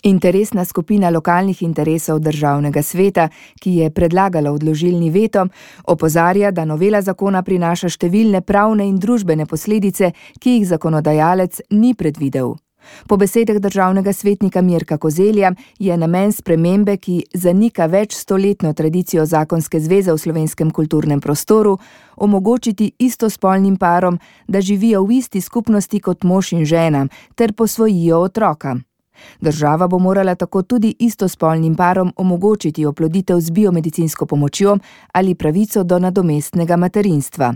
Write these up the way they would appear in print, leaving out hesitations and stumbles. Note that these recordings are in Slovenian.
Interesna skupina lokalnih interesov državnega sveta, ki je predlagala odložilni veto, opozarja, da novela zakona prinaša številne pravne in družbene posledice, ki jih zakonodajalec ni predvidel. Po besedah državnega svetnika Mirka Kozelja je namen spremembe, ki zanika večstoletno tradicijo zakonske zveze v slovenskem kulturnem prostoru, omogočiti istospolnim parom, da živijo v isti skupnosti kot mož in žena ter posvojijo otroka. Država bo morala tako tudi istospolnim parom omogočiti oploditev z biomedicinsko pomočjo ali pravico do nadomestnega materinstva.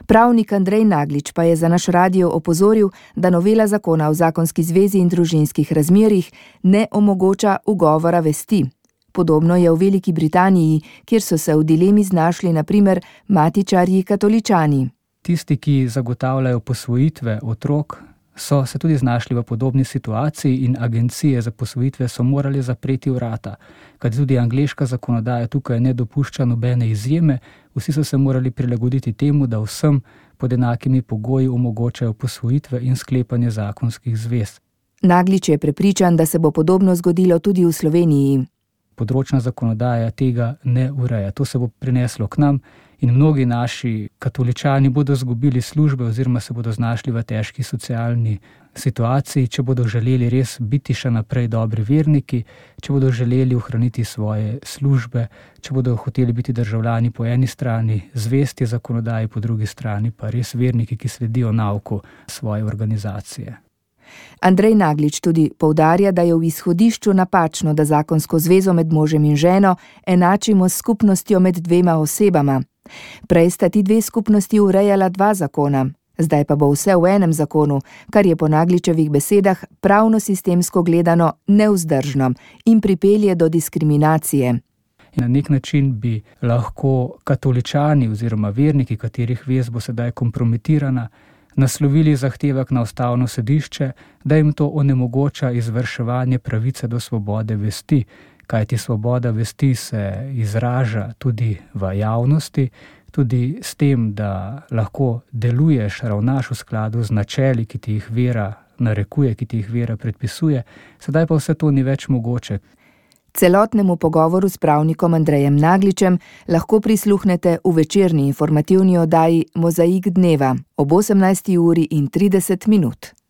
Pravnik Andrej Naglič pa je za naš radio opozoril, da novela zakona o zakonski zvezi in družinskih razmerjih ne omogoča ugovora vesti. Podobno je v Veliki Britaniji, kjer so se v dilemi znašli na primer matičarji katoličani. Tisti, ki zagotavljajo posvojitve otrok, so se tudi znašli v podobni situaciji in agencije za posvojitve so morali zapreti vrata, kajti tudi angleška zakonodaja tukaj ne dopušča nobene izjeme, vsi so se morali prilagoditi temu, da vsem pod enakimi pogoji omogočajo posvojitve in sklepanje zakonskih zvez. Naglič je prepričan, da se bo podobno zgodilo tudi v Sloveniji. Področna zakonodaja tega ne ureja. To se bo prineslo k nam in mnogi naši katoličani bodo izgubili službe oziroma se bodo znašli v težki socialni situaciji, če bodo želeli res biti še naprej dobri verniki, če bodo želeli ohraniti svoje službe, če bodo hoteli biti državljani po eni strani, zvesti zakonodaji, po drugi strani pa res verniki, ki sledijo nauku svoje organizacije. Andrej Naglič tudi poudarja, da je v izhodišču napačno, da zakonsko zvezo med možem in ženo enačimo s skupnostjo med dvema osebama. Prej sta ti dve skupnosti urejala dva zakona, zdaj pa bo vse v enem zakonu, kar je po Nagličevih besedah pravno-sistemsko gledano nevzdržno in pripelje do diskriminacije. In na nek način bi lahko katoličani oziroma verniki, katerih vez bo sedaj kompromitirana, naslovili zahtevek na ustavno sodišče, da jim to onemogoča izvrševanje pravice do svobode vesti, kajti svoboda vesti se izraža tudi v javnosti, tudi s tem, da lahko deluješ, ravnaš v skladu z načeli, ki ti jih vera narekuje, ki ti jih vera predpisuje, sedaj pa vse to ni več mogoče. Celotnemu pogovoru s pravnikom Andrejem Nagličem lahko prisluhnete v večerni informativni oddaji Mozaik dneva ob 18:30.